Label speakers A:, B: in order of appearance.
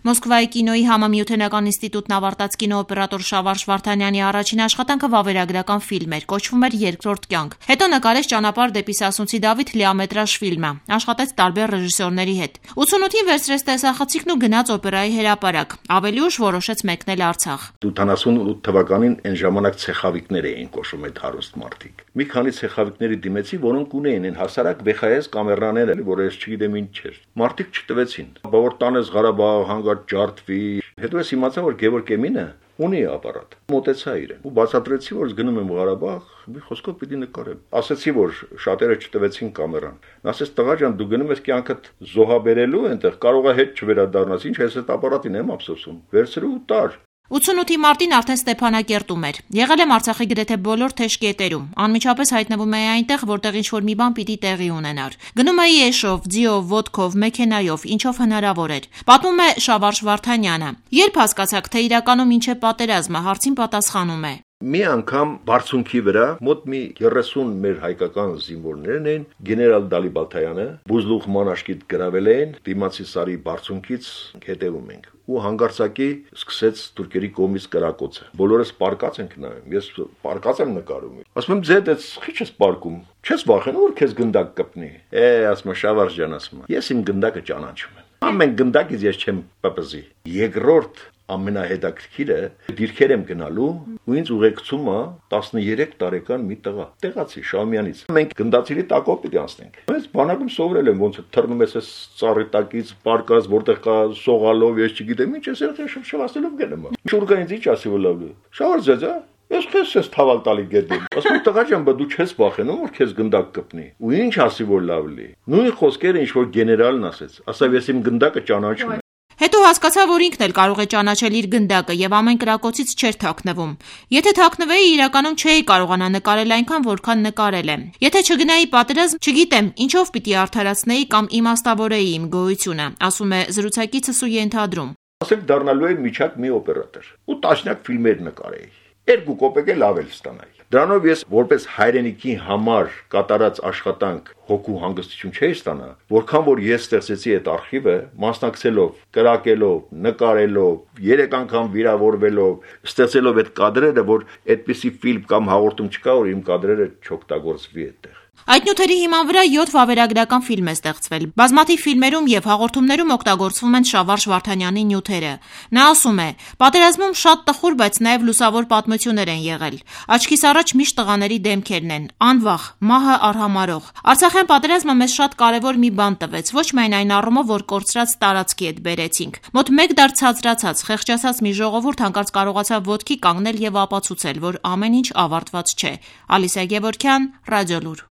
A: Մոսկվայի կինոյի համամիութենական ինստիտուտն ավարտած կինոօպերատոր Շավարժ Վարդանյանի առաջին աշխատանքը վավերագրական ֆիլմ էր, կոչվում էր «Երկրորդ կյանք»։ Հետո նկարեց «Ճանապարհ դեպի Սասունցի Դավիթ» լիամետրաժ ֆիլմը, աշխատեց տարբեր ռեժիսորների հետ։ 88-ին վերցրեց տեսախցիկն ու գնաց օպերայի հրապարակ։ Ավելի ուշ որոշեց մեկնել Արցախ։
B: 88 թվականին այն ժամանակ ցեխավիկներ էին կոչվում այդ հարուստ մարդիկ։ Մի քանի ցեխավիկների դիմեցի, որոնք ունեին այն հասարակ VHS կամերաները, որ ես չգիտեմ ինչ էր։ Մարդիկ չտվեցին։ Բավոր տանես Ղարաբաղ, հանգած ջարդվի։ Հետո ես իմացա, որ Գևորգ Էմինը ունի ապարատ։ Մոտեցա իրեն ու բացատրեցի, որ գնում եմ Ղարաբաղ, մի խոսքով պիտի նկարեմ։ Ասացի, որ շատերը չտվեցին կամերան։ Նա ասեց, տղա ջան, դու գնում ես կյանքդ զոհաբերելու այնտեղ, կարող է հետ չվերադառնաս, ինչ ես այդ ապարատին եմ ափսոսում։ Վերցրու ու տար։
A: 88-ի մարտին արդեն Ստեփանակերտում էր։ Եղել եմ Արցախի գրեթե բոլոր թեժ կետերում։ Անմիջապես հայտնվում էի այնտեղ, որտեղ ինչ-որ մի բան պիտի տեղի ունենար։ Գնում էի էշով, ձիով, ոտքով, մեքենայով, ինչով հնարավոր էր։ Պատմում է Շավարժ Վարդանյանը։ Երբ հասկացաք, թե իրականում ինչ է պատերազմը, հարցին պատասխանում է.
B: Մի անգամ բարձունքի վրա մոտ մի 30 մեր հայկական զինվորներն էին, գեներալ Դալիբալթայանը, Բուզլուխ մանաշկիտ գրավել էին, դիմացի սարի բարձունքից հետևում ենք։ Ու հանգարցակի սկսեց թուրքերի կողմից կրակոցը։ Բոլորս պարկած ենք նայում, ես պարկած եմ նկարում։ Ասում եմ, ձեդ էս քիչ ես պարկում։ Չես վախենում, որ քեզ գնդակ կպնի։ Ասում եմ, Շավարժ ջան, ասում եմ, ես իմ գնդակը ճանաչում եմ։ Ամեն գնդակից ես չեմ պպզի։ Երկրորդ ամենահետաքրքիրը դիրքեր եմ գնալու ու ինձ ուղեկցում է 13 տարեկան մի տղա, տեղացի Շահումյանից։ Մենք գնդացիրի տակով պիտի անցնենք։ Ես բանակում սովորել եմ, ոնց թռնում ես այս ծառի տակից, պարկած, որտեղ կա սողալով, ես չգիտեմ ինչ, ես երբ շվաշտելով գնում եմ։ Շուրգան ինձ ինչ ասի որ լավլի։ Շավարժ ջա, ես քեզ թավալ տալի գետին։ Ասում տղա ջան, բա դու չես վախենում որ քեզ գնդակ կպնի։ Ու ինչ ասի որ լավլի։ Նույն խոսքերը ինչ որ գեներալն ասեց։ Ասավ ես իմ գնդակը ճանաչում եմ։
A: Հետո հասկացա, որ ինքն էլ կարող է ճանաչել իր գնդակը եւ ամեն կրակոցից չէր թաքնվում։ Եթե թաքնվեի, իրականում չէի կարողանա նկարել այնքան, որքան նկարել եմ։ Եթե չգնայի պատերազմ, չգիտեմ, ինչով պիտի արդարացնեի կամ իմաստավորեի իմ գոյությունը, ասում է զրուցակիցս ու ենթադրում։
B: Ասենք դառնալու եմ միջակ մի օպերատոր ու տասնյակ ֆիլմեր նկարեի։ 2 կոպեկ էլ ավել ստանայի։ Դրանով ես որպես հայրենիքի համար կատարած աշխատանք հոգու հանգստություն չէի ստանա, որքան որ ես ստեղծեցի այդ արխիվը, մասնակցելով, կրակելով, նկարելով, 3 անգամ վիրավորվելով, ստեղծելով այդ կադրերը, որ այդպիսի ֆիլմ կամ հաղորդում չկա, որ իմ կադրերը չօգտագործվի այդտեղ։
A: Այդ նյութերի հիման վրա 7 վավերագրական ֆիլմ է ստեղծվել։ Բազմաթիվ ֆիլմերում եւ հաղորդումներում օգտագործվում են Շավարժ Վարդանյանի նյութերը։ Նա ասում է. «Պատերազմում շատ տխուր, բայց նաեւ լուսավոր պատմություններ են եղել։ Աչքիս առաջ միշտ տղաների դեմքերն են, անվախ, մահը արհամարող։ Արցախյան պատերազմը մեզ շատ կարեւոր մի բան տվեց, ոչ միայն այն առումով, որ կորցրած տարածքի հետ բերեցինք։ Մոտ 1 դար ցածրացած, խեղճացած մի ժողովուրդ հանկարծ կարողացավ ոտքի կանգնել եւ ապացուցել, որ ամեն ինչ ավարտված չէ»։ Ալիսա Գևորգյան, Ռադիոլուր։